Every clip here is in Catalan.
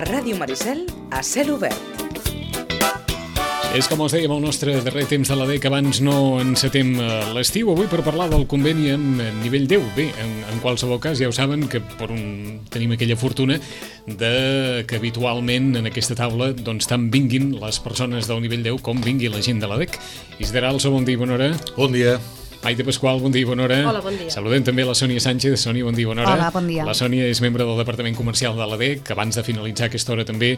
A Ràdio Maricel, a cel obert. És com us dèiem, el nostre darrer temps de la DEC. Abans no encetem l'estiu avui per parlar del conveni amb nivell 10. Bé, en qualsevol cas, ja ho saben que tenim aquella fortuna de que habitualment en aquesta taula doncs tant vinguin les persones del nivell 10 com vingui la gent de la DEC. Isidre Alsa, bon dia i bona hora. Bon dia. Maite Pasqual, bon dia i bona hora. Hola, bon dia. Saludem també la Sònia Sánchez. Sònia, bon dia i bona hora. Hola, bon dia. La Sònia és membre del Departament Comercial de la DEC. Abans de finalitzar aquesta hora també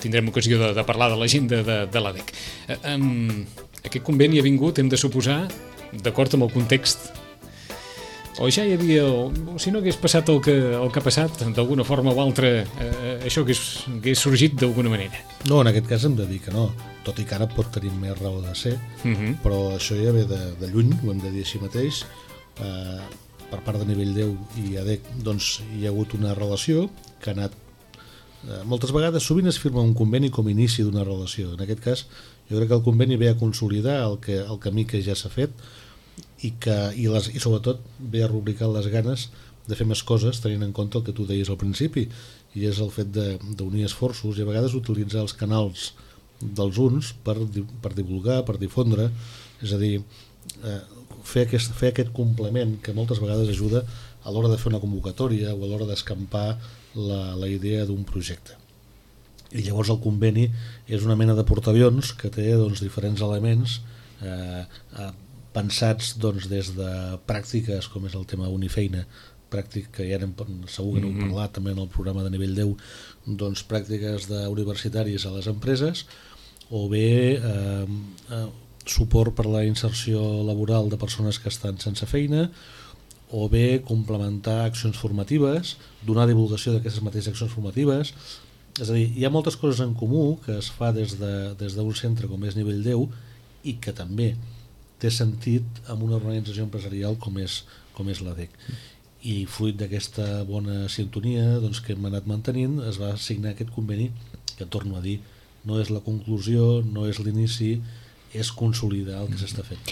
tindrem ocasió de parlar de l'agenda de la DEC. Aquest conveni ha vingut, hem de suposar, d'acord amb el context, o ja hi havia, o si no hagués passat el que ha passat, d'alguna forma o altra, això hagués sorgit d'alguna manera. No, en aquest cas hem de dir que no, tot i que ara pot tenir més raó de ser, però això ja ve de lluny, ho hem de dir així mateix. Per part de nivell 10 i ADEC doncs, hi ha hagut una relació que ha anat moltes vegades, sovint es firma un conveni com a inici d'una relació. En aquest cas jo crec que el conveni ve a consolidar el camí que ja s'ha fet i sobretot ve a rubricar les ganes de fer més coses tenint en compte el que tu deies al principi, i és el fet d'unir esforços i a vegades utilitzar els canals dels uns per divulgar, per difondre, és a dir, fer aquest complement que moltes vegades ajuda a l'hora de fer una convocatòria o a l'hora d'escampar la idea d'un projecte. I llavors el conveni és una mena de portaavions que té diferents elements pensats des de pràctiques, com és el tema Unifeina, pràctic que ja segur que n'heu parlat també en el programa de nivell 10, pràctiques universitàries a les empreses, o bé suport per la inserció laboral de persones que estan sense feina, o bé complementar accions formatives, donar divulgació d'aquestes mateixes accions formatives. És a dir, hi ha moltes coses en comú que es fa des d'un centre com és nivell 10 i que també té sentit amb una organització empresarial com és la DEC. I fruit d'aquesta bona sintonia que hem anat mantenint, es va signar aquest conveni que, torno a dir, no és la conclusió, no és l'inici, és consolidar el que s'està fent.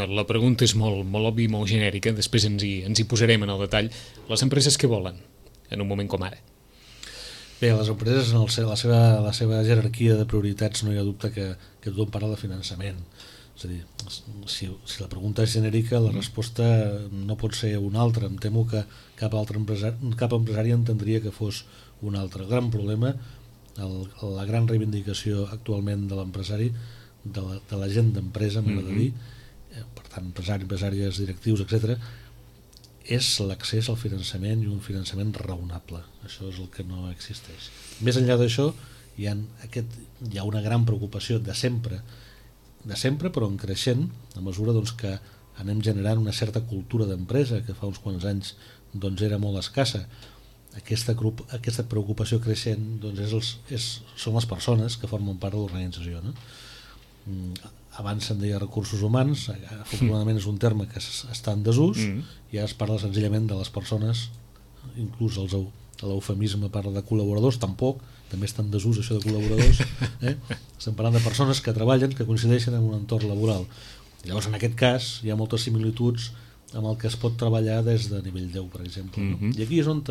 La pregunta és molt òbvia i molt genèrica, després ens hi posarem en el detall. Les empreses què volen en un moment com ara? Bé, les empreses, en la seva jerarquia de prioritats, no hi ha dubte que tothom parla de finançament. És a dir, si la pregunta és genèrica, la resposta no pot ser una altra. Em temo que cap empresari entendria que fos un altre. El gran problema, la gran reivindicació actualment de l'empresari, de la gent d'empresa, m'he de dir, per tant, empresàries, directius, etc., és l'accés al finançament i un finançament raonable. Això és el que no existeix. Més enllà d'això, hi ha una gran preocupació de sempre, però en creixent, a mesura que anem generant una certa cultura d'empresa que fa uns quants anys era molt escassa. Aquesta preocupació creixent són les persones que formen part de l'organització, no? Abans se'n deia recursos humans, afortunadament és un terme que està en desús, i ara es parla senzillament de les persones, inclús l'eufemisme parla de col·laboradors, tampoc, també està en desús això de col·laboradors, estem parlant de persones que treballen, que coincideixen en un entorn laboral. Llavors, en aquest cas, hi ha moltes similituds amb el que es pot treballar des de nivell 10, per exemple, no? I aquí és on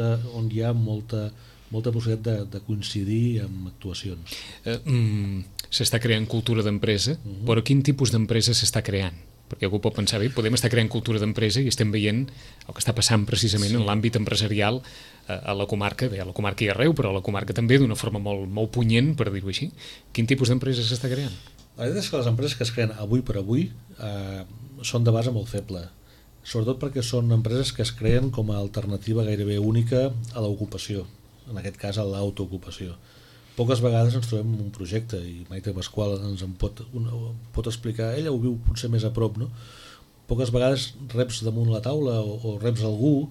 hi ha molta possibilitat de coincidir amb actuacions. S'està creant cultura d'empresa, però quin tipus d'empresa s'està creant? Perquè algú pot pensar, bé, podem estar creant cultura d'empresa i estem veient el que està passant precisament en l'àmbit empresarial a la comarca, bé, a la comarca i arreu, però a la comarca també d'una forma molt punyent, per dir-ho així. Quin tipus d'empresa s'està creant? La veritat és que les empreses que es creen avui per avui són de base molt feble, sobretot perquè són empreses que es creen com a alternativa gairebé única a l'ocupació, en aquest cas a l'autoocupació. Poques vegades ens trobem en un projecte, i Maite Pasqual ens en pot explicar, ella ho viu potser més a prop, no? Poques vegades reps damunt la taula o reps algú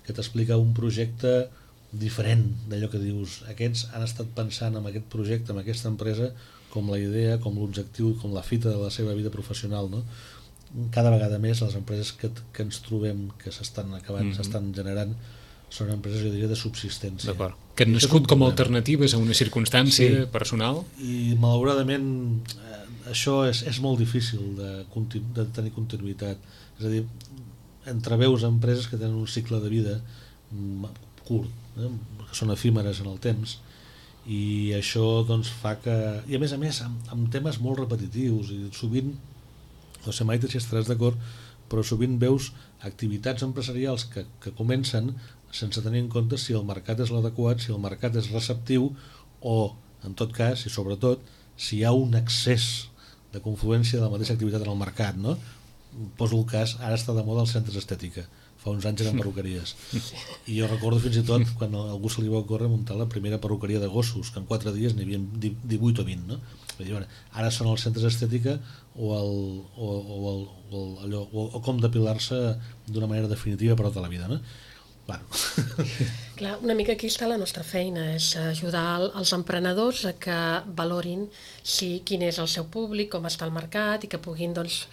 que t'explica un projecte diferent d'allò que dius. Aquests han estat pensant en aquest projecte, en aquesta empresa, com la idea, com l'objectiu, com la fita de la seva vida professional, no? Cada vegada més les empreses que ens trobem, que s'estan acabant, s'estan generant, són empreses, jo diria, de subsistència. D'acord. Que han nascut com a alternatives a una circumstància personal. I malauradament això és molt difícil de tenir continuïtat. És a dir, entreveus empreses que tenen un cicle de vida curt, que són efímeres en el temps, i això doncs fa que, i a més amb temes molt repetitius, i sovint, no sé Maite si estaràs d'acord, però sovint veus activitats empresarials que comencen sense tenir en compte si el mercat és l'adequat, si el mercat és receptiu, o en tot cas, i sobretot, si hi ha un excés de confluència de la mateixa activitat en el mercat, no? Poso el cas, ara està de moda els centres d'estètica, fa uns anys eren perruqueries, i jo recordo fins i tot quan a algú se li va ocórrer muntar la primera perruqueria de gossos, que en 4 dies n'hi havia 18 o 20, no? Ara són els centres d'estètica o com depilar-se d'una manera definitiva per tota la vida, no? Bueno. Clar, una mica aquí està la nostra feina, és ajudar els emprenedors a que valorin quin és el seu públic, com està el mercat, i que puguin doncs,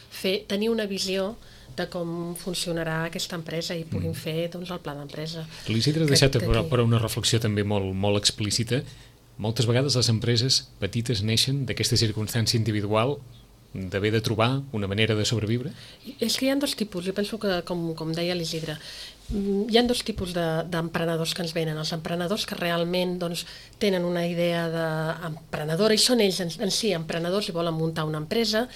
tenir una visió de com funcionarà aquesta empresa i puguin fer doncs, el pla d'empresa. L'Isidre ha deixat però una reflexió també molt explícita. Moltes vegades les empreses petites neixen d'aquesta circumstància individual d'haver de trobar una manera de sobreviure? És que hi ha dos tipus, jo penso que, com deia l'Isidre, hi ha dos tipus d'emprenedors que ens venen. Els emprenedors que realment doncs, tenen una idea d'emprenedora i són ells en si emprenedors i volen muntar una empresa,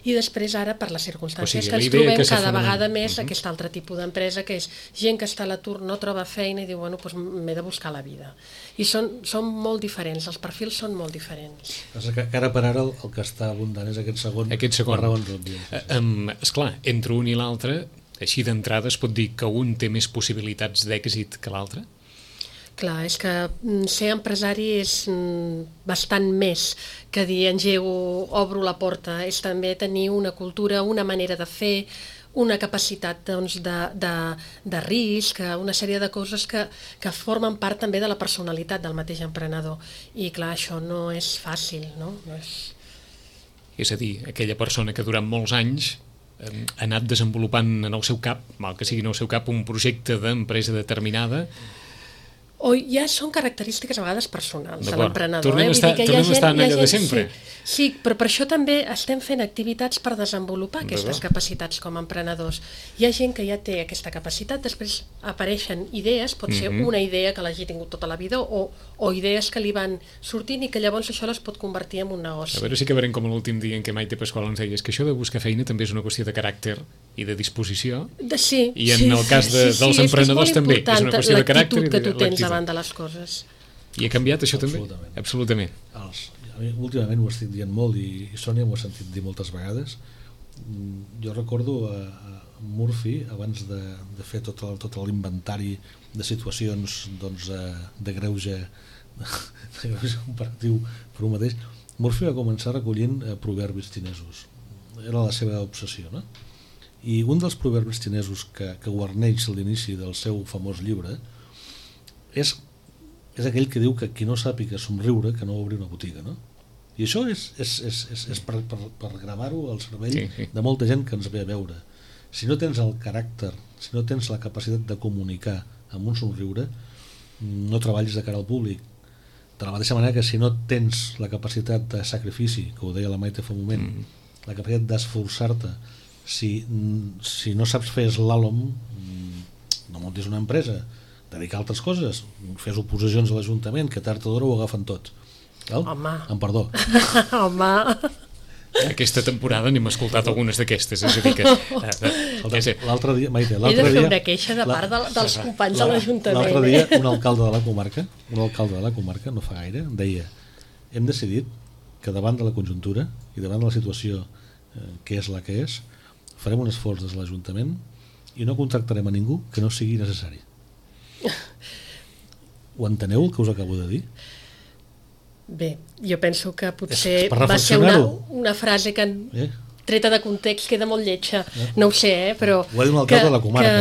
i després ara per les circumstàncies que ens trobem cada vegada més aquest altre tipus d'empresa, que és gent que està a l'atur, no troba feina i diu, bueno, doncs m'he de buscar la vida. I són molt diferents, els perfils són molt diferents. Que ara per ara el que està abundant és aquest segon. Per raons òbvies. Esclar, entre un i l'altre, així d'entrada es pot dir que un té més possibilitats d'èxit que l'altre? Clar, és que ser empresari és bastant més que dir engego, obro la porta, és també tenir una cultura, una manera de fer, una capacitat doncs, de risc, una sèrie de coses que formen part també de la personalitat del mateix emprenedor. I clar, això no és fàcil, no? És a dir, aquella persona que durant molts anys ha anat desenvolupant en el seu cap, mal que sigui en el seu cap, un projecte d'empresa determinada. O ja són característiques a vegades personals de l'emprenedor. Tornem a estar en allò de sempre. Sí, però per això també estem fent activitats per desenvolupar aquestes capacitats com a emprenedors. Hi ha gent que ja té aquesta capacitat, després apareixen idees, pot ser una idea que l'hagi tingut tota la vida o idees que li van sortint i que llavors això les pot convertir en un negoci. A veure si acabarem com l'últim dia en què Maite Pasqual ens deies que això de buscar feina també és una qüestió de caràcter i de disposició. Sí. I en el cas dels emprenedors també és una qüestió de caràcter i de l'actitud davant de les coses. I ha canviat això també? Absolutament. Últimament ho estic dient molt i Sònia m'ho ha sentit dir moltes vegades. Jo recordo a Murphy, abans de fer tot l'inventari de situacions doncs, de greuge comparatiu per un mateix, Murphy va començar recollint proverbis xinesos. Era la seva obsessió, no? I un dels proverbis xinesos que guarneix l'inici del seu famós llibre és aquell que diu que qui no sàpiga somriure que no obri una botiga, no? I això és per gravar-ho al cervell de molta gent que ens ve a veure. Si no tens el caràcter, si no tens la capacitat de comunicar amb un somriure, no treballis de cara al públic. De la mateixa manera que si no tens la capacitat de sacrifici, que ho deia la Maite fa un moment, la capacitat d'esforçar-te, si no saps fer slàlom, no muntis una empresa, dedicar a altres coses, fes oposicions a l'Ajuntament, que tard o d'hora ho agafen tot. Home. Amb perdó. Home. Aquesta temporada n'hem escoltat algunes d'aquestes, és a dir que... L'altre dia, Maite, he de fer una queixa de part dels companys de l'Ajuntament. L'altre dia un alcalde de la comarca, no fa gaire, deia: hem decidit que davant de la conjuntura i davant de la situació que és la que és, farem un esforç des de l'Ajuntament i no contractarem a ningú que no sigui necessari. Ho enteneu el que us acabo de dir? Bé, jo penso que potser va ser una frase que treta de context queda molt lletja, no ho sé, però... Ho va dir un alcalde de la comarca,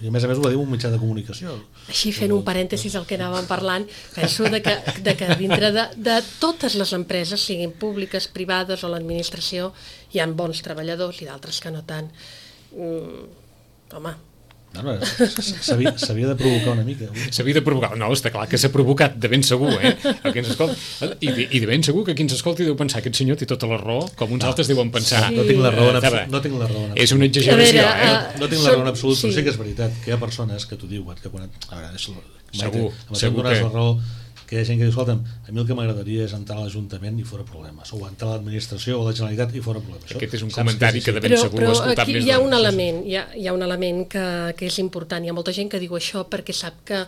i a més ho va dir un mitjà de comunicació. Així fent un parèntesis al que anàvem parlant, penso que dintre de totes les empreses, siguin públiques, privades o l'administració, hi ha bons treballadors i d'altres que no tant. Home... S'havia de provocar una mica. S'havia de provocar, no, està clar que s'ha provocat, de ben segur, el que ens escolta. I de ben segur que qui ens escolti deu pensar aquest senyor té tota la raó, com uns altres deuen pensar. No tinc la raó en absolut. És una exageració, No tinc la raó en absolut, però sí que és veritat que hi ha persones que t'ho diuen, que quan... A veure, segur que... la raó, que hi ha gent que diu, escolta'm, a mi el que m'agradaria és entrar a l'Ajuntament i fora problemes, o entrar a l'administració o a la Generalitat i fora problemes. Aquest és un comentari que de ben segur ho ha escoltat aquí més hi ha d'una. un element, hi ha un element que és important. Hi ha molta gent que diu això perquè sap que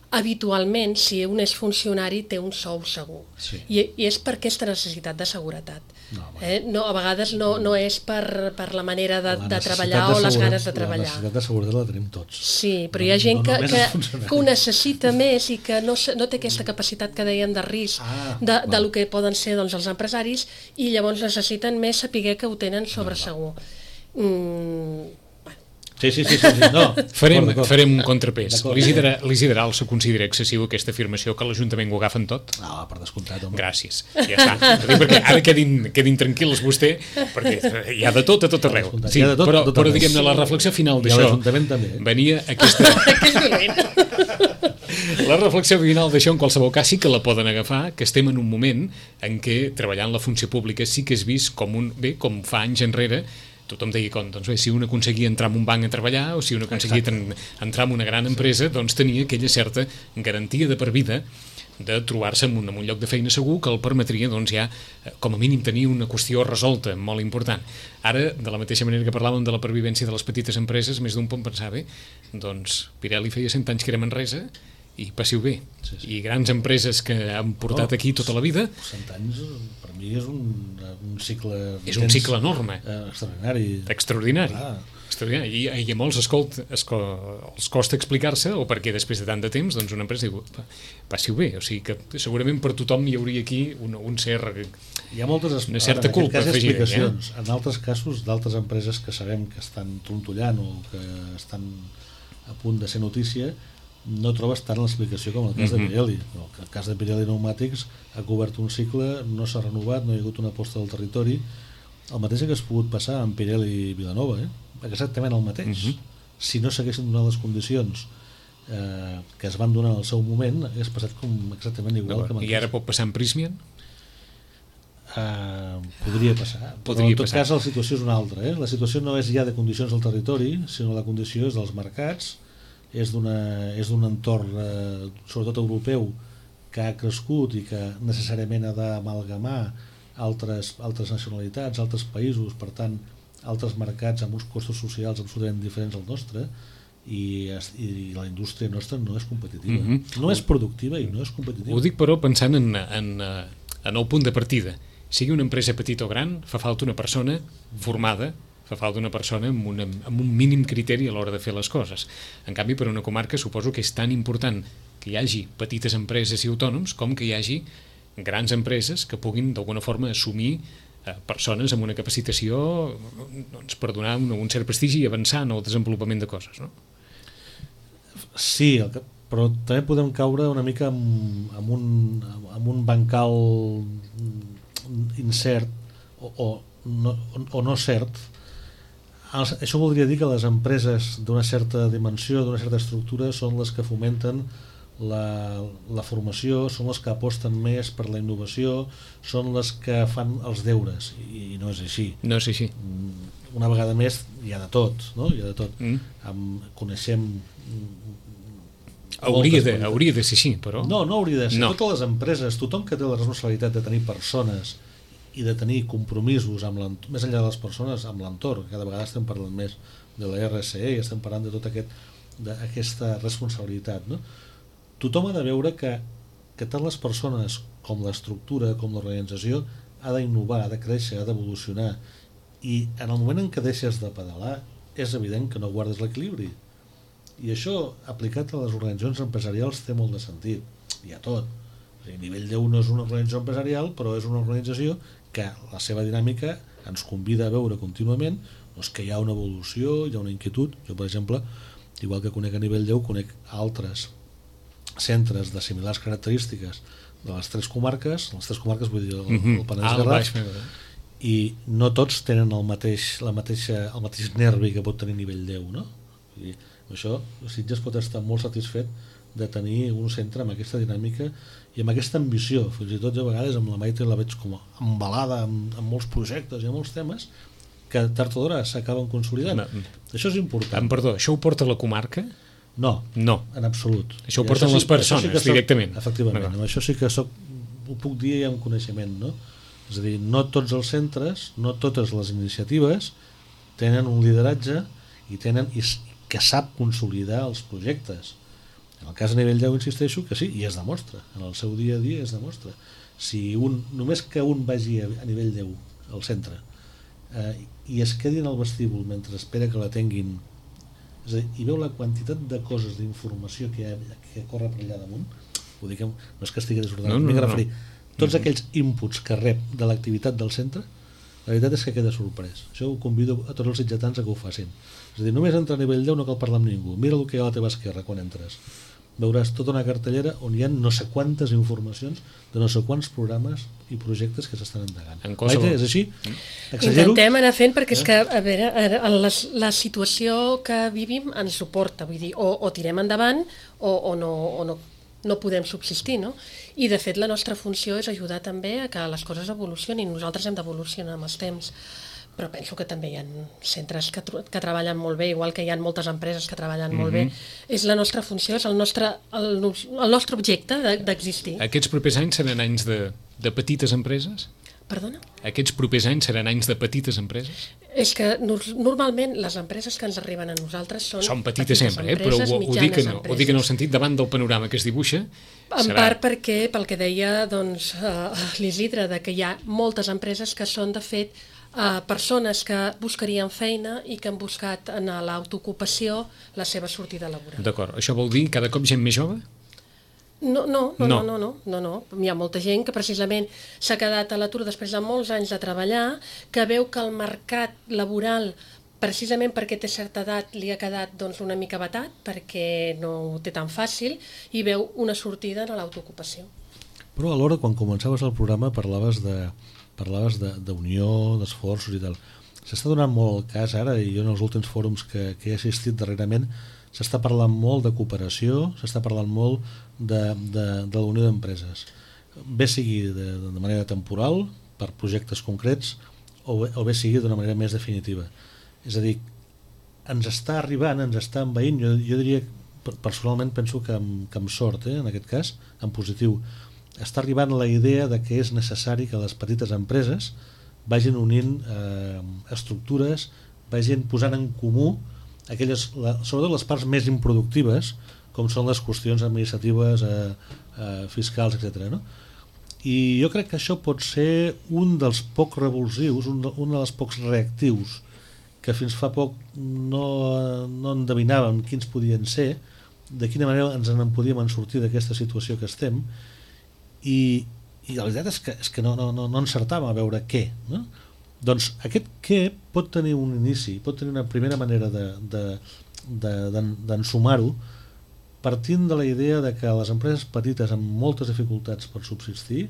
habitualment, si un és funcionari, té un sou segur. Sí. I és per aquesta necessitat de seguretat. No, A vegades no és per la manera de treballar necessitat o les ganes de La treballar. necessitat de seguretat la tenim tots. Sí, però hi ha gent només els funcionaris. que ho necessita més i que no té aquesta capacitat que dèiem de risc de lo que poden ser doncs, els empresaris, i llavors necessiten més saber que ho tenen sobre segur. Sí. No, Farem un contrapès. L'Isidre Alsa considera excessiu aquesta afirmació que l'Ajuntament ho agafen tot? No, per descomptat, home. Gràcies, ja està. Perquè ara quedin tranquils vostè, perquè hi ha de tot a tot arreu. Sí, però diguem-ne, la reflexió final d'això... I l'Ajuntament també. Venia aquesta... La reflexió final d'això, en qualsevol cas, sí que la poden agafar, que estem en un moment en què treballar en la funció pública sí que és vist com fa anys enrere. Tothom deia, doncs bé, si un aconseguia entrar en un banc a treballar o si un aconseguia entrar en una gran empresa, doncs tenia aquella certa garantia de per vida de trobar-se en un lloc de feina segur que el permetria doncs, ja, com a mínim, tenir una qüestió resolta, molt important. Ara, de la mateixa manera que parlàvem de la pervivència de les petites empreses, més d'un pot pensar, bé, doncs Pirelli feia 100 anys que era Manresa i passiu bé. Sí. I grans empreses que han portat aquí tota la vida... 100 anys, per mi, és un cicle... És un cicle enorme. Extraordinari. Extraordinari. I a molts els costa explicar-se, o perquè després de tant de temps doncs una empresa diu, passiu bé. O sigui que segurament per tothom hi hauria aquí una certa culpa afegida. En altres casos, d'altres empreses que sabem que estan trontollant o que estan a punt de ser notícia, no trobes tant l'explicació com el cas de Pirelli. El cas de Pirelli Pneumàtics ha cobert un cicle, no s'ha renovat, no hi ha hagut una aposta del territori. El mateix que has pogut passar amb Pirelli Vilanova, exactament el mateix. Si no s'haguessin donat les condicions que es van donar en el seu moment, hagués passat exactament igual que amb I ara pot passar amb Prysmian? Podria passar, però en tot cas la situació és una altra. La situació no és ja de condicions del territori, sinó la condició és dels mercats, és d'un entorn sobretot europeu que ha crescut i que necessàriament ha d'amalgamar altres nacionalitats, altres països, per tant altres mercats amb uns costos socials absolutament diferents al nostre, i la indústria nostra no és competitiva, no és productiva i no és competitiva. Ho dic però pensant en el punt de partida. Sigui una empresa petita o gran, fa falta una persona formada, fa falta una persona amb un mínim criteri a l'hora de fer les coses. En canvi, per una comarca suposo que és tan important que hi hagi petites empreses i autònoms com que hi hagi grans empreses que puguin d'alguna forma assumir persones amb una capacitació per donar un cert prestigi i avançar en el desenvolupament de coses, no? Sí, però també podem caure una mica amb un bancal incert o no cert. Això voldria dir que les empreses d'una certa dimensió, d'una certa estructura, són les que fomenten la formació, són les que aposten més per la innovació, són les que fan els deures, i no és així. No és així. Una vegada més hi ha de tot, no? Hi ha de tot. Coneixem... Hauria de ser així, però... No hauria de ser. Totes les empreses, tothom que té la responsabilitat de tenir persones i de tenir compromisos més enllà de les persones amb l'entorn, cada vegada estem parlant més de la RSE i estem parlant de tota aquesta responsabilitat, no? Tothom ha de veure que tant les persones com l'estructura, com l'organització ha d'innovar, ha de créixer, ha d'evolucionar, i en el moment en què deixes de pedalar és evident que no guardes l'equilibri, i això aplicat a les organitzacions empresarials té molt de sentit, hi ha tot. A nivell 10 no és una organització empresarial, però és una organització que la seva dinàmica ens convida a veure contínuament doncs que hi ha una evolució, hi ha una inquietud. Jo, per exemple, igual que conec a nivell 10, conec altres centres de similars característiques de les tres comarques vull dir el Penedès Garraf, i no tots tenen el mateix nervi que pot tenir nivell 10, no? I això, Sitges pot estar molt satisfet de tenir un centre amb aquesta dinàmica i amb aquesta ambició, fins i tot a vegades amb la Maite la veig com embalada amb molts projectes i amb molts temes que tard o d'hora s'acaben consolidant. Això és important. Perdó, això ho porta la comarca? No, en absolut. Això ho porten les persones directament. Efectivament, amb això sí que ho puc dir amb coneixement, no? És a dir, no tots els centres, no totes les iniciatives tenen un lideratge i que sap consolidar els projectes. En el cas a nivell 10 insisteixo que sí, i es demostra, en el seu dia a dia es demostra. Si només que un vagi a nivell 10 al centre i es quedi en el vestíbul mentre espera que l'atenguin, és a dir, i veu la quantitat de coses d'informació que corre per allà damunt, vull dir que no és que estigui desordenat, m'he de referir tots aquells inputs que rep de l'activitat del centre, la veritat és que queda sorprès. Això ho convido a tots els sitgetans a que ho facin. És a dir, només entrar a nivell 10 no cal parlar amb ningú, mira el que hi ha a la teva esquerra quan entres, veuràs tota una cartellera on hi ha no sé quantes informacions de no sé quants programes i projectes que s'estan endegant. Maite, és així? Exagero? Intentem anar fent perquè és que, a veure, la situació que vivim ens suporta, vull dir, o tirem endavant o no podem subsistir, no? I de fet la nostra funció és ajudar també a que les coses evolucionin, nosaltres hem d'evolucionar amb els temps, però penso que també hi ha centres que treballen molt bé, igual que hi ha moltes empreses que treballen molt bé. És la nostra funció, és el nostre objecte d'existir. Aquests propers anys seran anys de petites empreses? Perdona? Aquests propers anys seran anys de petites empreses? És que normalment les empreses que ens arriben a nosaltres són petites sempre, però ho dic en el sentit davant del panorama que es dibuixa. En part perquè, pel que deia l'Isidre, que hi ha moltes empreses que són de fet persones que buscarien feina i que han buscat en l'autoocupació la seva sortida laboral. D'acord, això vol dir cada cop gent més jove? No. Hi ha molta gent que precisament s'ha quedat a l'atur després de molts anys de treballar, que veu que el mercat laboral, precisament perquè té certa edat, li ha quedat una mica batat, perquè no ho té tan fàcil, i veu una sortida en l'autoocupació. Però alhora, quan començaves el programa, parlaves d'unió, d'esforços i tal. S'està donant molt el cas ara, i jo en els últims fòrums que he assistit darrerament, s'està parlant molt de cooperació, s'està parlant molt de la unió d'empreses. Bé sigui de manera temporal, per projectes concrets, o bé sigui d'una manera més definitiva. És a dir, ens està arribant, ens està envaint, jo diria, personalment penso que amb sort, en aquest cas, en positiu, està arribant la idea de que és necessari que les petites empreses vagin unint estructures, vagin posant en comú sobretot les parts més improductives, com són les qüestions administratives, fiscals, etc. No? I jo crec que això pot ser un dels pocs revulsius, un dels pocs reactius que fins fa poc no endevinàvem quins podien ser, de quina manera ens en podíem sortir d'aquesta situació que estem, i la veritat és que no encertàvem a veure què, no? Doncs aquest què pot tenir un inici, pot tenir una primera manera d'ensumar-ho, partint de la idea de que les empreses petites amb moltes dificultats per subsistir,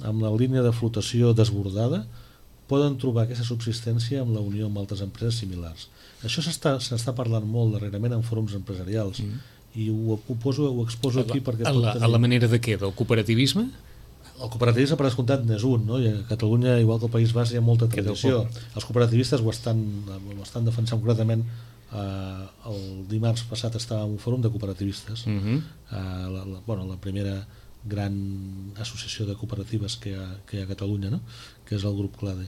amb la línia de flotació desbordada, poden trobar aquesta subsistència amb la unió amb altres empreses similars. Això s'està parlant molt darrerament en fòrums empresarials, i ho exposo aquí perquè... A la manera de què? Del cooperativisme? El cooperativisme, per descomptat, n'és un, no? I a Catalunya, igual que al País Basc, hi ha molta tradició. Els cooperativistes ho estan defensant concretament. El dimarts passat estava en un fòrum de cooperativistes, la primera gran associació de cooperatives que hi ha a Catalunya, no? Que és el grup CLADE,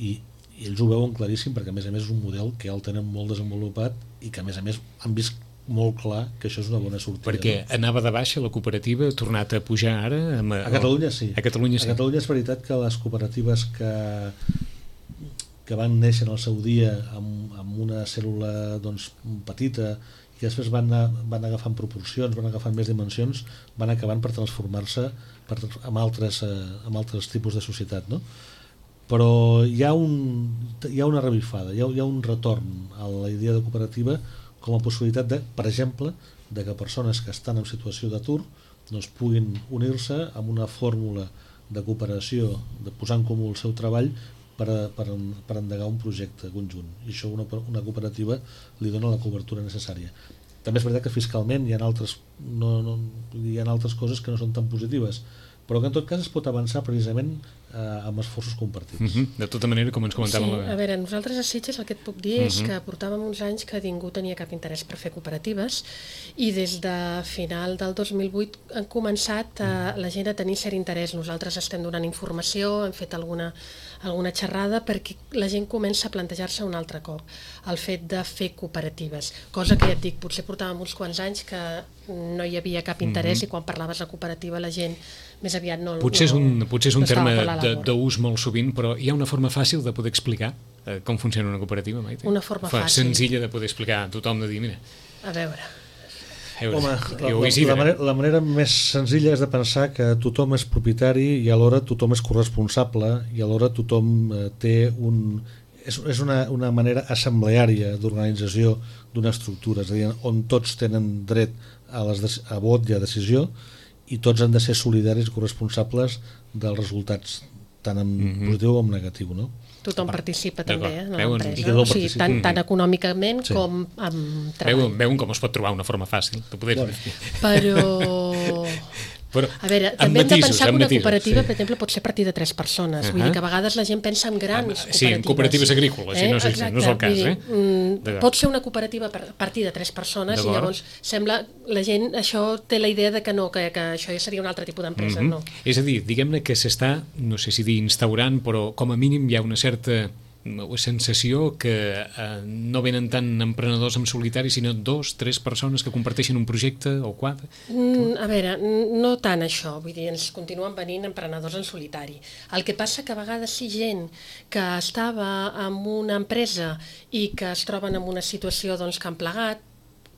i ells ho veuen claríssim perquè a més és un model que ja el tenen molt desenvolupat i que a més han vist molt clar que això és una bona sortida. Perquè anava de baixa la cooperativa, ha tornat a pujar ara? A Catalunya sí. A Catalunya és veritat que les cooperatives que van néixer en el seu dia amb una cèl·lula petita i que després van agafant proporcions, van agafant més dimensions, van acabant per transformar-se amb altres tipus de societat, no? Però hi ha una revifada, hi ha un retorn a la idea de cooperativa com a possibilitat per exemple, de que persones que estan en situació d'atur puguin unir-se amb una fórmula de cooperació, de posar en comú el seu treball per endegar un projecte conjunt. I això una cooperativa li dona la cobertura necessària. També és veritat que fiscalment hi ha altres coses que no són tan positives, però que en tot cas es pot avançar precisament amb esforços compartits. De tota manera, com ens comentàvem... Sí, a veure, nosaltres a Sitges el que et puc dir és que portàvem uns anys que ningú tenia cap interès per fer cooperatives i des de final del 2008 han començat la gent a tenir cert interès. Nosaltres estem donant informació, hem fet alguna xerrada perquè la gent comença a plantejar-se un altre cop el fet de fer cooperatives, cosa que ja et dic, potser portàvem uns quants anys que no hi havia cap interès i quan parlaves de cooperativa la gent més aviat no... Potser és un terme d'ús molt sovint, però hi ha una forma fàcil de poder explicar com funciona una cooperativa, Maite? Una forma fàcil. Senzilla de poder explicar a tothom, de dir, mira... A veure... Home, la manera més senzilla és de pensar que tothom és propietari i alhora tothom és corresponsable i alhora tothom té és una manera assembleària d'organització d'una estructura, és a dir, on tots tenen dret a vot i a decisió i tots han de ser solidaris i corresponsables dels resultats tant en positiu com en negatiu, no? Tothom participa també en l'empresa, o sigui, tant econòmicament com amb treball. Veuen com es pot trobar una forma fàcil de poder... Però, a veure, també hem de pensar que una cooperativa, per exemple, pot ser a partir de 3 persones. Vull dir que a vegades la gent pensa en grans cooperatives. Sí, en cooperatives agrícoles, no és el cas. Pot ser una cooperativa a partir de 3 persones i llavors sembla, la gent, això té la idea de que no, que això ja seria un altre tipus d'empresa, no. És a dir, diguem-ne que s'està, no sé si dir instaurant, però com a mínim hi ha una certa sensació que no venen tant emprenedors en solitari, sinó 2, 3 persones que comparteixen un projecte o 4? A veure, no tant això, vull dir, ens continuen venint emprenedors en solitari. El que passa que a vegades sí gent que estava en una empresa i que es troben en una situació doncs, que han plegat,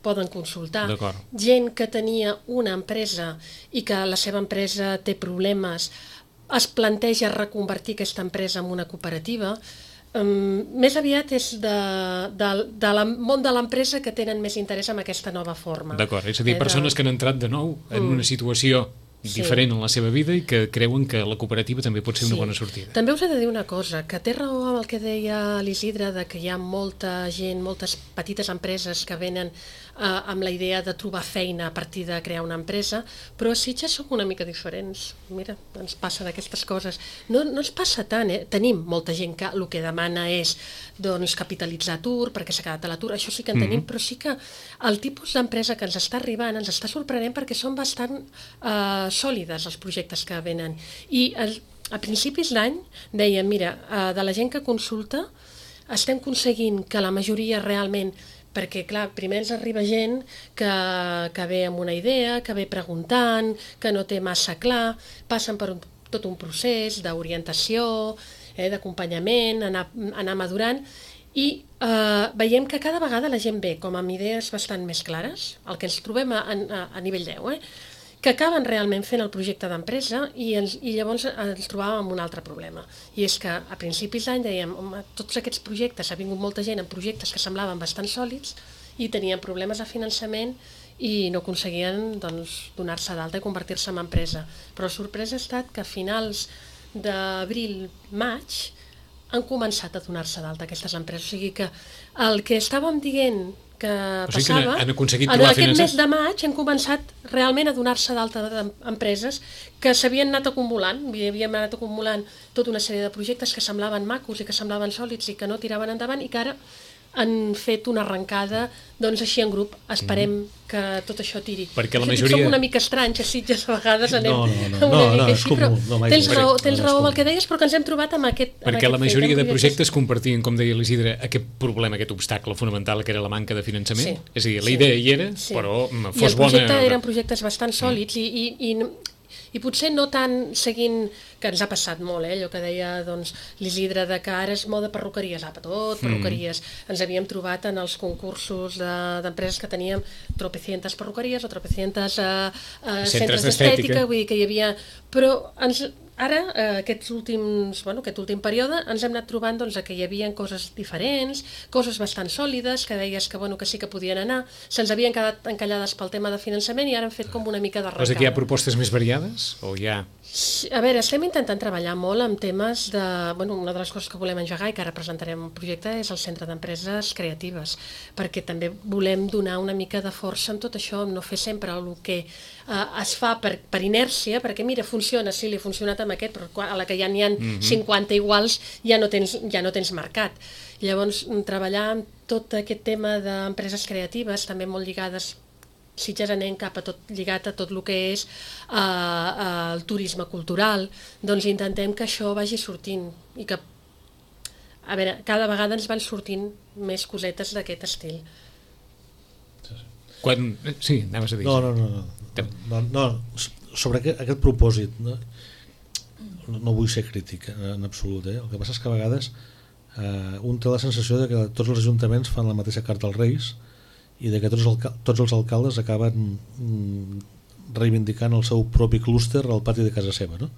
poden consultar. Gent que tenia una empresa i que la seva empresa té problemes, es planteja reconvertir aquesta empresa en una cooperativa. Més aviat és del món de l'empresa que tenen més interès en aquesta nova forma. D'acord, és a dir, persones que han entrat de nou en una situació diferent en la seva vida i que creuen que la cooperativa també pot ser una bona sortida. També us he de dir una cosa, que té raó amb el que deia l'Isidre, de que hi ha molta gent, moltes petites empreses que venen amb la idea de trobar feina a partir de crear una empresa, però a Sitges som una mica diferents. Mira, ens passen aquestes coses. No ens passa tant, Tenim molta gent que el que demana és capitalitzar atur, perquè s'ha quedat a l'atur, això sí que en tenim, però sí que el tipus d'empresa que ens està arribant ens està sorprenent perquè són bastant sòlides els projectes que venen. I a principis d'any dèiem, mira, de la gent que consulta estem aconseguint que la majoria realment, perquè clar, primer ens arriba gent que ve amb una idea, que ve preguntant, que no té massa clar, passen per tot un procés d'orientació, d'acompanyament, anar madurant, i veiem que cada vegada la gent ve com amb idees bastant més clares, el que ens trobem a nivell 10, que acaben realment fent el projecte d'empresa i llavors ens trobàvem amb un altre problema. I és que a principis d'any dèiem, tots aquests projectes, ha vingut molta gent amb projectes que semblaven bastant sòlids i tenien problemes de finançament i no aconseguien donar-se d'alta i convertir-se en empresa. Però la sorpresa ha estat que a finals d'abril, maig, han començat a donar-se d'alta aquestes empreses. O sigui que el que estàvem dient que passava, en aquest mes de maig han començat realment a donar-se d'alta d'empreses que s'havien anat acumulant, havíem anat acumulant tota una sèrie de projectes que semblaven macos i que semblaven sòlids i que no tiraven endavant i que ara han fet una arrencada així en grup. Esperem que tot això tiri. Perquè la majoria... Som una mica estranys a Sitges, a vegades anem una mica així, però tens raó amb el que deies, però que ens hem trobat amb aquest... Perquè la majoria de projectes compartien, com deia l'Isidre, aquest problema, aquest obstacle fonamental que era la manca de finançament. És a dir, la idea hi era, però fos bona... I el projecte eren projectes bastant sòlids i potser no tant seguint, que ens ha passat molt, allò que deia l'Isidre, que ara és moda perruqueries, perruqueries. Ens havíem trobat en els concursos d'empreses que teníem tropecientes perruqueries o tropecientes centres d'estètica, vull dir que hi havia... Però ara, aquest últim període, ens hem anat trobant que hi havia coses diferents, coses bastant sòlides, que deies que sí que podien anar, se'ns havien quedat encallades pel tema de finançament i ara han fet com una mica de arrencada. Vols dir que hi ha propostes més variades? O hi ha A veure, estem intentant treballar molt amb temes de... Bueno, una de les coses que volem engegar i que ara presentarem un projecte és el Centre d'Empreses Creatives, perquè també volem donar una mica de força en tot això, no fer sempre el que es fa per inèrcia, perquè mira, funciona, sí, li ha funcionat amb aquest, però a la que ja n'hi ha 50 iguals ja no tens mercat. Llavors, treballar amb tot aquest tema d'empreses creatives, també molt lligades Sitges anem cap a tot lligat a tot el que és el turisme cultural, doncs intentem que això vagi sortint i que, a veure, cada vegada ens van sortint més cosetes d'aquest estil. Quan... Sí, anaves a dir. No, sobre aquest propòsit, no vull ser crític en absolut, el que passa és que a vegades un té la sensació de que tots els ajuntaments fan la mateixa carta als Reis i de que tots els alcaldes acaben reivindicant el seu propi clúster al pati de casa seva, no?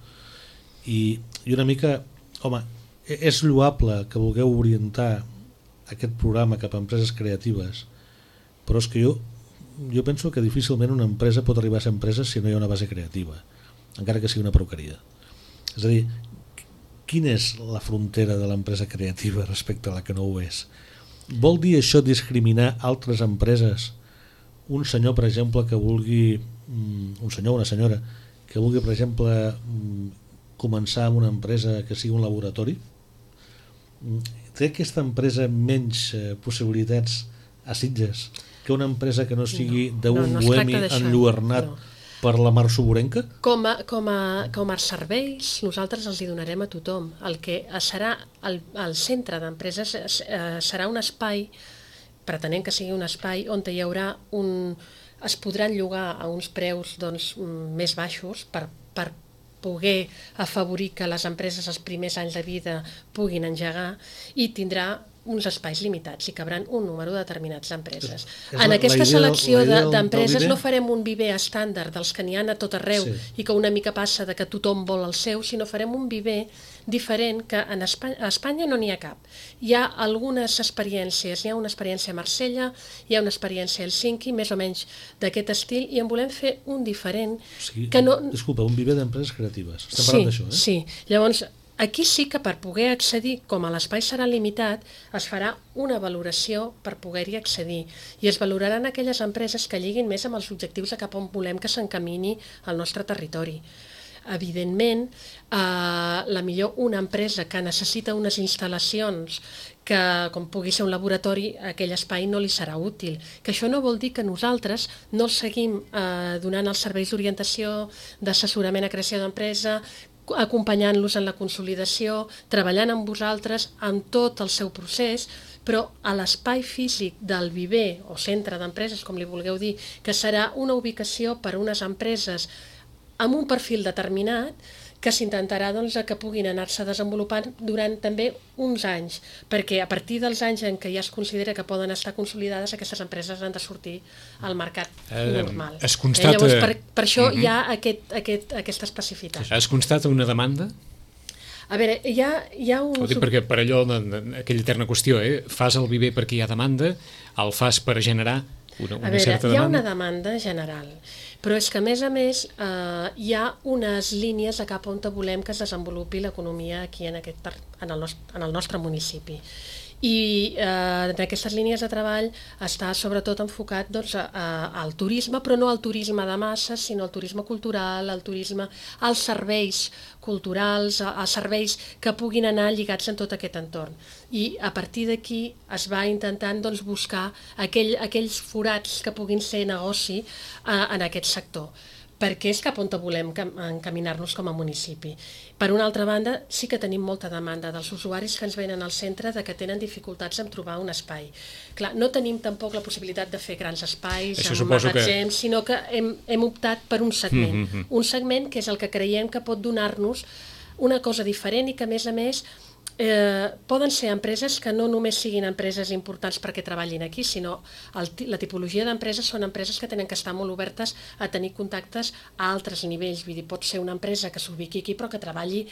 I una mica, home, és lloable que vulgueu orientar aquest programa cap a empreses creatives, però és que jo penso que difícilment una empresa pot arribar a ser empresa si no hi ha una base creativa, encara que sigui una perruqueria. És a dir, quina és la frontera de l'empresa creativa respecte a la que no ho és? Vol dir això discriminar altres empreses? Un senyor, per exemple, que vulgui, un senyor o una senyora, que vulgui, per exemple, començar amb una empresa que sigui un laboratori, té aquesta empresa menys possibilitats a Sitges que una empresa que no sigui d'un bohemi enlluernat per la mar soborenca? Com a serveis, nosaltres els hi donarem a tothom. El que serà el centre d'empreses serà un espai, pretenem que sigui un espai on hi haurà es podran llogar a uns preus més baixos per poder afavorir que les empreses els primers anys de vida puguin engegar i tindrà uns espais limitats, hi cabran un número determinats d'empreses. En aquesta selecció d'empreses no farem un viver estàndard dels que n'hi ha a tot arreu i que una mica passa de que tothom vol el seu, sinó farem un viver diferent que a Espanya no n'hi ha cap. Hi ha algunes experiències, hi ha una experiència a Marsella, hi ha una experiència a Helsinki, més o menys d'aquest estil, i en volem fer un diferent. Disculpa, un viver d'empreses creatives. Estem parlant d'això, eh? Sí, llavors aquí sí que per poder accedir, com l'espai serà limitat, es farà una valoració per poder-hi accedir i es valoraran aquelles empreses que lliguin més amb els objectius de cap on volem que s'encamini el nostre territori. Evidentment, la millor una empresa que necessita unes instal·lacions que, com pugui ser un laboratori, aquell espai no li serà útil. Que això no vol dir que nosaltres no els seguim donant els serveis d'orientació, d'assessorament a creació d'empresa, acompanyant-los en la consolidació, treballant amb vosaltres en tot el seu procés, però a l'espai físic del viver o centre d'empreses, com li vulgueu dir, que serà una ubicació per a unes empreses amb un perfil determinat que s'intentarà que puguin anar-se desenvolupant durant també uns anys, perquè a partir dels anys en què ja es considera que poden estar consolidades, aquestes empreses han de sortir al mercat normal. Es constata... Llavors, per això hi ha aquesta especificitat. Es constata una demanda? A veure, hi ha un... Ho dic perquè per allò, aquella eterna qüestió, fas el viver perquè hi ha demanda, el fas per generar una certa demanda? Hi ha una demanda general, però és que a més hi ha unes línies a cap on volem que es desenvolupi l'economia aquí en el nostre municipi. I en aquestes línies de treball està sobretot enfocat al turisme, però no al turisme de masses, sinó al turisme cultural, al turisme, als serveis culturals, als serveis que puguin anar lligats en tot aquest entorn. I a partir d'aquí es va intentant buscar aquells forats que puguin ser negoci en aquest sector, perquè és cap on volem encaminar-nos com a municipi. Per una altra banda, sí que tenim molta demanda dels usuaris que ens venen al centre de que tenen dificultats en trobar un espai. Clar, no tenim tampoc la possibilitat de fer grans espais, amb magatzems, sinó que hem optat per un segment. Un segment que és el que creiem que pot donar-nos una cosa diferent i que, a més, poden ser empreses que no només siguin empreses importants perquè treballin aquí, sinó la tipologia d'empreses són empreses que tenen que estar molt obertes a tenir contactes a altres nivells. Vull dir, pot ser una empresa que s'ubiqui aquí però que treballi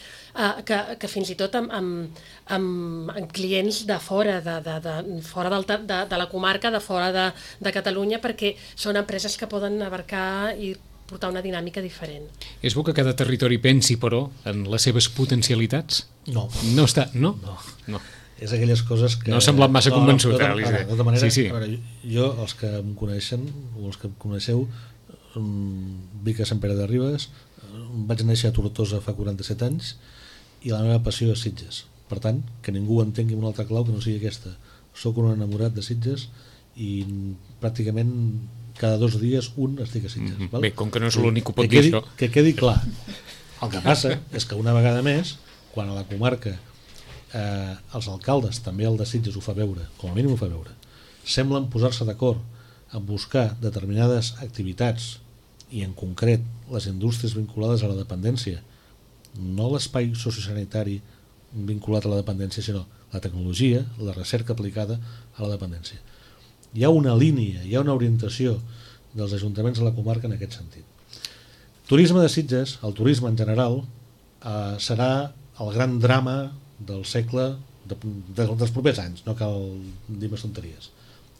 que fins i tot amb clients de fora, fora de la comarca, de fora de Catalunya, perquè són empreses que poden abarcar i portar una dinàmica diferent. És bo que cada territori pensi, però, en les seves potencialitats? No. No està... No? No. És aquelles coses que... No ha semblat massa convençut, de tota manera, sí. A veure, jo, els que em coneixen, o els que em coneixeu, vic a Sant Pere de Ribes, vaig néixer a Tortosa fa 47 anys i la meva passió és Sitges. Per tant, que ningú entengui una altra clau que no sigui aquesta. Soc un enamorat de Sitges i pràcticament cada 2 dies estic a Sitges. Val? Bé, com que no és l'únic que pot dir això. Que quedi clar. El que passa és que una vegada més, quan a la comarca els alcaldes, també el de Sitges ho fa veure, com a mínim ho fa veure, semblen posar-se d'acord en buscar determinades activitats i en concret les indústries vinculades a la dependència, no l'espai sociosanitari vinculat a la dependència, sinó la tecnologia, la recerca aplicada a la dependència. Hi ha una línia, hi ha una orientació dels ajuntaments de la comarca en aquest sentit. Turisme de Sitges, el turisme en general, serà el gran drama del segle, dels propers anys, no cal dir més tonteries.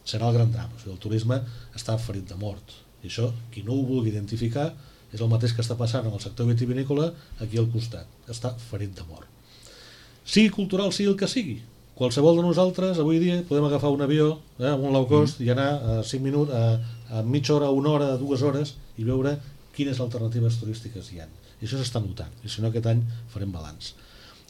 Serà el gran drama. O sigui, el turisme està ferit de mort. I això, qui no ho vulgui identificar, és el mateix que està passant en el sector vitivinícola aquí al costat. Està ferit de mort. Sigui cultural, sigui el que sigui. Qualsevol de nosaltres, avui dia, podem agafar un avió amb un low cost i anar a 5 minuts, a mitja hora, 1 hora, 2 hores i veure quines alternatives turístiques hi ha. I això s'està notant. I si no, aquest any farem balanç.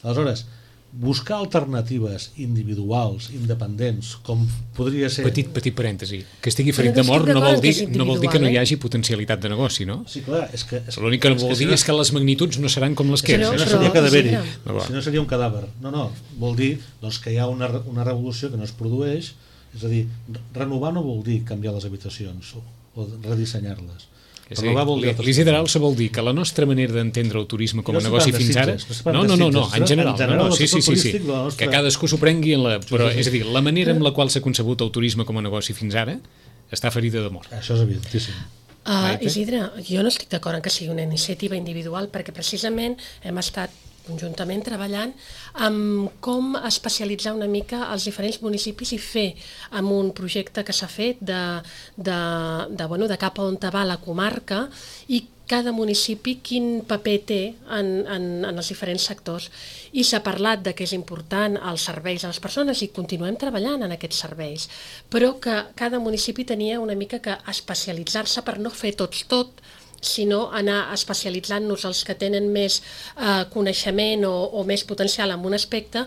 Aleshores, buscar alternatives individuals, independents, com podria ser... Petit parèntesi. Que estigui ferit de mort no vol dir que no hi hagi potencialitat de negoci, no? Sí, clar, és que... L'únic que vol dir és que les magnituds no seran com les que... Si no seria cadaveri, si no seria un cadàver. No, vol dir que hi ha una revolució que no es produeix, és a dir, renovar no vol dir canviar les habitacions o redissenyar-les. L'Isidre vol dir que la nostra manera d'entendre el turisme com a negoci fins ara... No, en general. Sí. Que cadascú s'ho prengui en la... Però, és a dir, la manera amb la qual s'ha concebut el turisme com a negoci fins ara està ferida de mort. Això és evidentíssim. Isidre, jo no estic d'acord en que sigui una iniciativa individual, perquè precisament hem estat conjuntament treballant amb com especialitzar una mica els diferents municipis i fer amb un projecte que s'ha fet de cap a on va la comarca i cada municipi quin paper té en els diferents sectors. I s'ha parlat de que és important els serveis a les persones i continuem treballant en aquests serveis, però que cada municipi tenia una mica que especialitzar-se per no fer tot, sinó anar especialitzant-nos els que tenen més coneixement o més potencial en un aspecte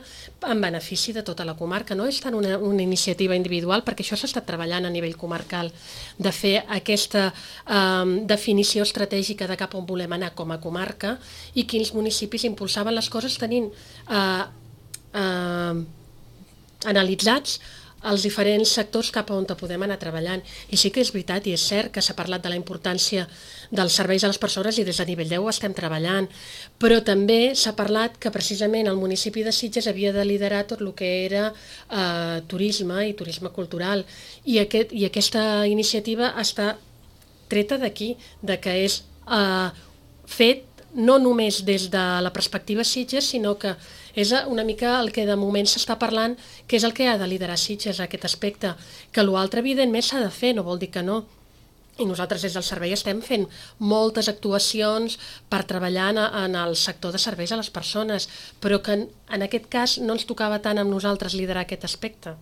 en benefici de tota la comarca. No és tant una iniciativa individual, perquè això s'ha estat treballant a nivell comarcal, de fer aquesta definició estratègica de cap on volem anar com a comarca i quins municipis impulsaven les coses tenint analitzats els diferents sectors cap a on podem anar treballant. I sí que és veritat i és cert que s'ha parlat de la importància dels serveis a les persones i des de nivell 10 estem treballant, però també s'ha parlat que precisament el municipi de Sitges havia de liderar tot el que era turisme i turisme cultural i aquesta iniciativa està treta d'aquí, de que és fet no només des de la perspectiva Sitges, sinó que és una mica el que de moment s'està parlant, que és el que ha de liderar Sitges, aquest aspecte, que l'altre evidentment s'ha de fer, no vol dir que no. I nosaltres des del servei estem fent moltes actuacions per treballar en el sector de serveis a les persones, però que en aquest cas no ens tocava tant amb nosaltres liderar aquest aspecte,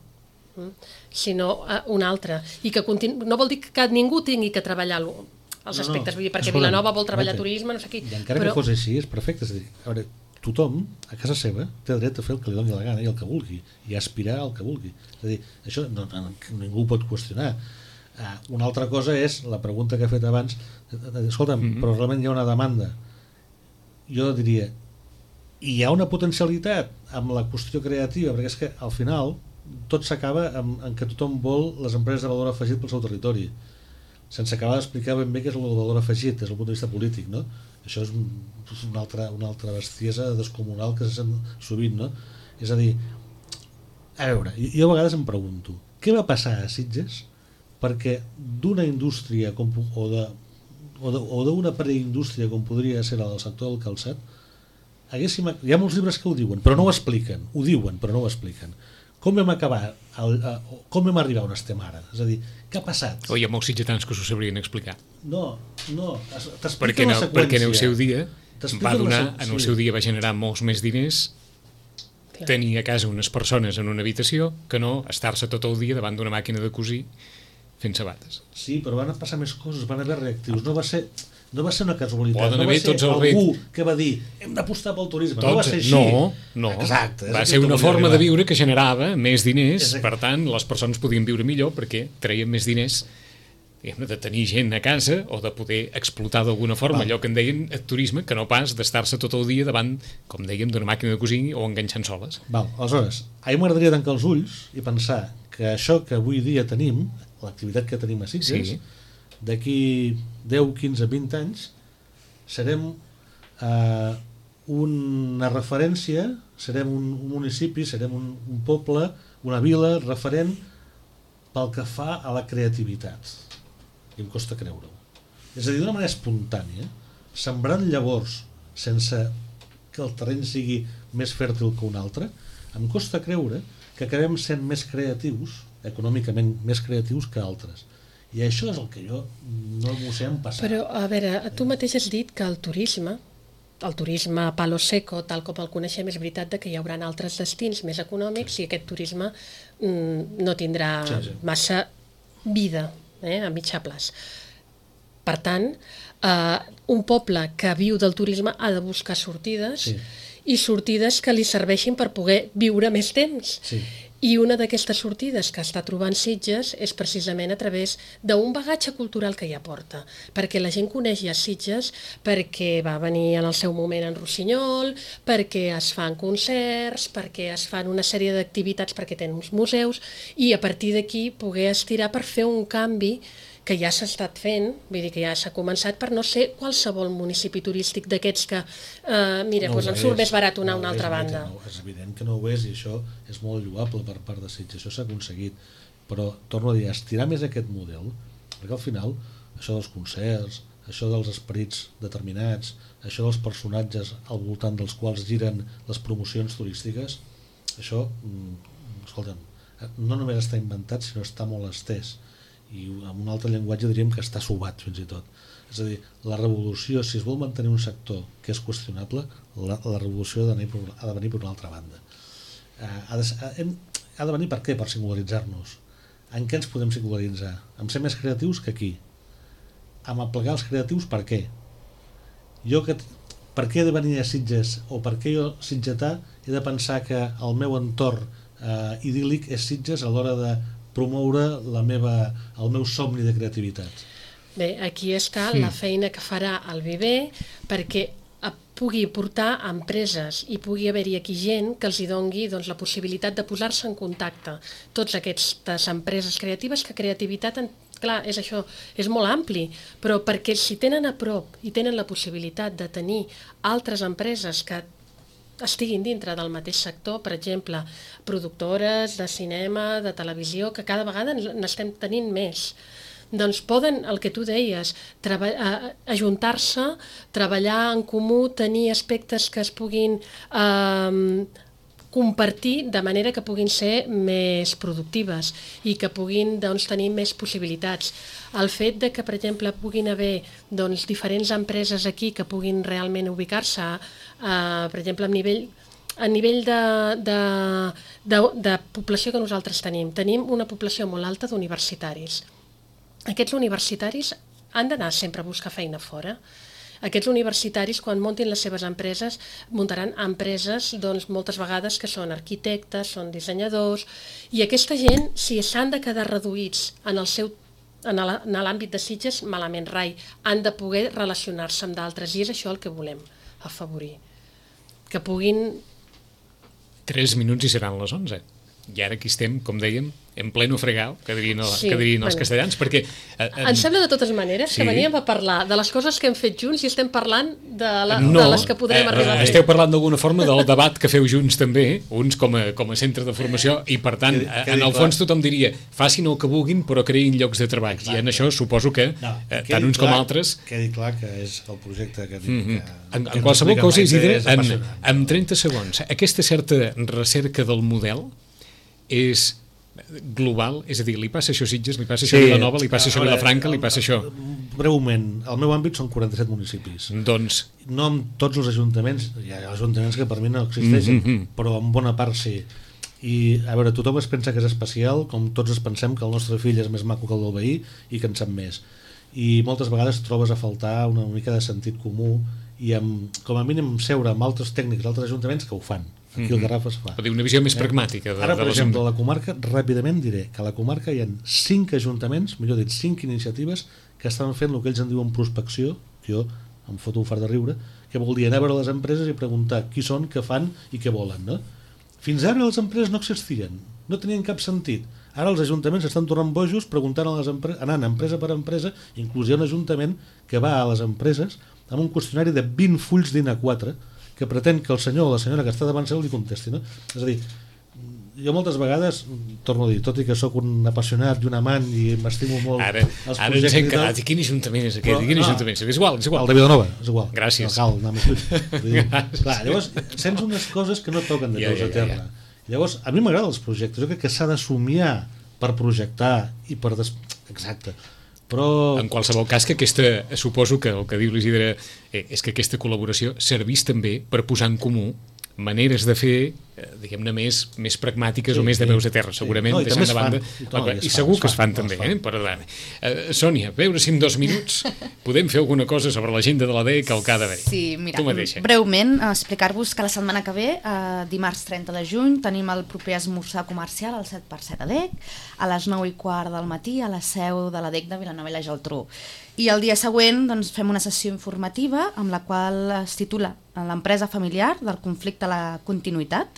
sinó un altre. I que no vol dir que ningú tingui que treballar els aspectes, vull dir, perquè Vilanova vol treballar turisme, no sé qui. I encara que fos així, és perfecte, és a dir, a veure, tothom, a casa seva, té dret a fer el que li doni la gana i el que vulgui, i aspirar al que vulgui. És a dir, això ningú ho pot qüestionar. Una altra cosa és la pregunta que ha fet abans, escolta'm, però realment hi ha una demanda. Jo diria, hi ha una potencialitat amb la qüestió creativa, perquè és que al final tot s'acaba en que tothom vol les empreses de valor afegit pel seu territori, sense acabar d'explicar ben bé què és el valor afegit des del punt de vista polític, no? Això és una altra bestiesa descomunal que se sent sovint, no? És a dir, a veure, jo a vegades em pregunto, què va passar a Sitges perquè d'una indústria o d'una preindústria com podria ser el sector del calçat, hi ha molts llibres que ho diuen, però no ho expliquen, ho diuen, però no ho expliquen. com vam acabar, com vam arribar on estem ara? És a dir, què ha passat? O hi ha molts sitgetans que s'ho sabrien explicar. No, t'expliquen Perquè la seqüència. en el seu dia va donar, sí. en el seu dia va generar molts més diners tenir a casa unes persones en una habitació que no estar-se tot el dia davant d'una màquina de cosir fent sabates. Sí, però van passar més coses, van haver reactius. No va ser una casualitat. Poden no haver va ser tots els algú que va dir hem d'apostar pel turisme. No va ser així. No. Exacte, va ser una forma de viure que generava més diners. Exacte. Per tant, les persones podien viure millor perquè treien més diners de tenir gent a casa o de poder explotar d'alguna forma allò que en deien el turisme, que no pas d'estar-se tot el dia davant, com dèiem, d'una màquina de cosir o enganxant soles. Aleshores, a mi m'agradaria tancar els ulls i pensar que això que avui dia tenim, l'activitat que tenim a Sitges, d'aquí 10, 15, 20 anys serem una referència, serem un municipi, serem un poble, una vila referent pel que fa a la creativitat. I em costa creure-ho. És a dir, d'una manera espontània, sembrant llavors sense que el terreny sigui més fèrtil que un altre, em costa creure que acabem sent més creatius, econòmicament més creatius que altres. I això és el que jo no m'ho sé empassar. Però, a veure, tu mateix has dit que el turisme palo seco, tal com el coneixem, és veritat que hi haurà altres destins més econòmics i aquest turisme no tindrà massa vida a mitjà plaç. Per tant, un poble que viu del turisme ha de buscar sortides i sortides que li serveixin per poder viure més temps. I una d'aquestes sortides que està trobant Sitges és precisament a través d'un bagatge cultural que hi aporta, perquè la gent coneix ja Sitges perquè va venir en el seu moment en Rossinyol, perquè es fan concerts, perquè es fan una sèrie d'activitats, perquè tenen uns museus, i a partir d'aquí poder estirar per fer un canvi que ja s'ha estat fent, vull dir que ja s'ha començat, per no ser qualsevol municipi turístic d'aquests que, doncs em surt més barat una altra banda. És evident que no ho és, i això és molt lloable per part de Sitges, això s'ha aconseguit, però torno a dir, estirar més aquest model, perquè al final això dels concerts, això dels esperits determinats, això dels personatges al voltant dels quals giren les promocions turístiques, això, escolta'm, no només està inventat, sinó està molt estès, i amb un altre llenguatge diríem que està sobat fins i tot. És a dir, la revolució, si es vol mantenir un sector que és qüestionable, la revolució ha de venir per una altra banda. Ha de venir per què? Per singularitzar-nos. En què ens podem singularitzar? En ser més creatius que aquí. En aplegar els creatius per què? Per què he de venir a Sitges, o per què jo, sitgetà, he de pensar que el meu entorn idíl·lic és Sitges a l'hora de promoure el meu somni de creativitat? Bé, aquí està la feina que farà el Viver perquè pugui portar empreses i pugui haver-hi aquí gent que els hi dongui la possibilitat de posar-se en contacte. Tots aquestes empreses creatives, que creativitat, clar, és això, és molt ampli, però perquè si tenen a prop i tenen la possibilitat de tenir altres empreses que estiguin dintre del mateix sector, per exemple, productores de cinema, de televisió, que cada vegada n'estem tenint més. Doncs poden, el que tu deies, ajuntar-se, treballar en comú, tenir aspectes que es puguin compartir de manera que puguin ser més productives i que puguin tenir més possibilitats. El fet de que, per exemple, puguin haver diferents empreses aquí que puguin realment ubicar-se, per exemple, a nivell de població que nosaltres tenim una població molt alta d'universitaris. Aquests universitaris han d'anar sempre a buscar feina fora. Aquests universitaris, quan muntin les seves empreses, muntaran empreses moltes vegades que són arquitectes, són dissenyadors, i aquesta gent, si s'han de quedar reduïts en l'àmbit de Sitges, malament rai, han de poder relacionar-se amb d'altres, i és això el que volem afavorir. Que puguin... 3 minuts i seran les 11. I ara aquí estem, com dèiem, en pleno fregau, que dirien els castellans, perquè... Em sembla de totes maneres que veníem a parlar de les coses que hem fet junts i estem parlant de les que podrem arribar a fer. Esteu parlant d'alguna forma del debat que feu junts també, uns com a centre de formació, i per tant, en el fons tothom diria, facin el que vulguin però creïn llocs de treball, i en això suposo que tant uns com altres... Quedi clar que és el projecte que dic. En qualsevol cosa, Isidre, en 30 segons, aquesta certa recerca del model és global? És a dir, li passa això a Sitges, li passa això a Vilanova, li passa això a Vilafranca, li passa això... Breument, el meu àmbit són 47 municipis. Doncs... No amb tots els ajuntaments, hi ha ajuntaments que per mi no existeixen, però en bona part sí. I, a veure, tothom es pensa que és especial, com tots es pensem que el nostre fill és més maco que el del veí i que en sap més. I moltes vegades trobes a faltar una mica de sentit comú i com a mínim seure amb altres tècnics d'altres ajuntaments que ho fan. Aquí el Garraf es fa. Pot dir una visió més pragmàtica. Ara, per exemple, a la comarca, ràpidament diré que a la comarca hi ha 5 ajuntaments, millor dit, 5 iniciatives que estan fent el que ells en diuen prospecció, que jo em foto un fart de riure, que vol dir anar a veure les empreses i preguntar qui són, què fan i què volen, no? Fins ara les empreses no existien, no tenien cap sentit. Ara els ajuntaments estan tornant bojos preguntant a les empreses, anant empresa per empresa, inclús hi ha un ajuntament que va a les empreses amb un qüestionari de 20 fulls d'Ina4 que pretén que el senyor o la senyora que està davant seu li contesti, no? És a dir, jo moltes vegades, torno a dir, tot i que sóc un apassionat i un amant i m'estimo molt els projectes... Ara ens hem quedat, i quin ajuntament és aquest? Quin ajuntament és? És igual. El de Vilanova, és igual. Gràcies. No cal anar més lluny. Clar, llavors, sents unes coses que no toquen de peus a terra. Llavors, a mi m'agraden els projectes, jo crec que s'ha de somiar per projectar i per... Exacte. Però... En qualsevol cas, que suposo que el que diu l'Isidre és que aquesta col·laboració servís també per posar en comú maneres de fer, diguem-ne, més pragmàtiques o més de peus a terra, segurament, deixant de banda. I segur que es fan també, perdona. Sònia, a veure si en 2 minuts podem fer alguna cosa sobre l'agenda de l'ADEC al que ha d'haver. Sí, mira, breument, explicar-vos que la setmana que ve, dimarts 30 de juny, tenim el proper esmorzar comercial al 7x7 ADEC, a les 9:15 del matí, a la seu de l'ADEC de Vilanova i la Geltrú. I el dia següent doncs, fem una sessió informativa amb la qual es titula l'empresa familiar del conflicte a la continuïtat.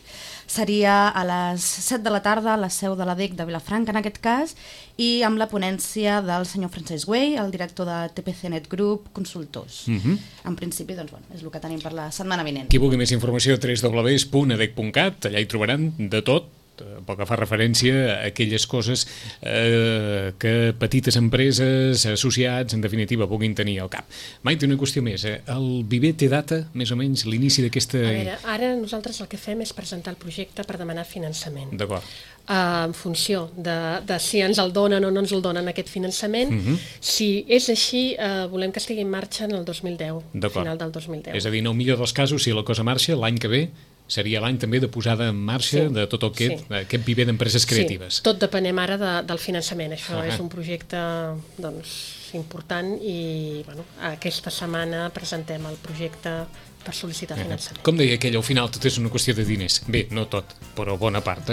Seria a les 7 de la tarda a la seu de l'ADEC de Vilafranca, en aquest cas, i amb la ponència del senyor Francesc Güell, el director de TPCnet Group Consultors. En principi, doncs, és el que tenim per la setmana vinent. Qui vulgui més informació, www.adec.cat, allà hi trobaran de tot, pel que fa referència a aquelles coses que petites empreses, associats, en definitiva, puguin tenir al cap. Maite, una qüestió més. El Viver té data, més o menys, l'inici d'aquesta... A veure, ara nosaltres el que fem és presentar el projecte per demanar finançament. D'acord. En funció de si ens el donen o no ens el donen aquest finançament. Si és així, volem que estigui en marxa en el 2010, final del 2010. És a dir, en el millor dels casos, si la cosa marxa, l'any que ve seria l'any també de posada en marxa de tot aquest viver d'empreses creatives. Sí, tot depenem ara del finançament. Això és un projecte important i aquesta setmana presentem el projecte per sol·licitar finançament. Com deia aquell, al final tot és una qüestió de diners. Bé, no tot, però bona part.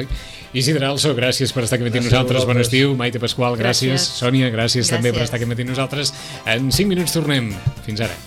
Isidre Also, gràcies per estar aquí amb nosaltres. Bon estiu. Maite Pasqual, gràcies. Sònia, gràcies també per estar aquí amb nosaltres. En 5 minuts tornem. Fins ara.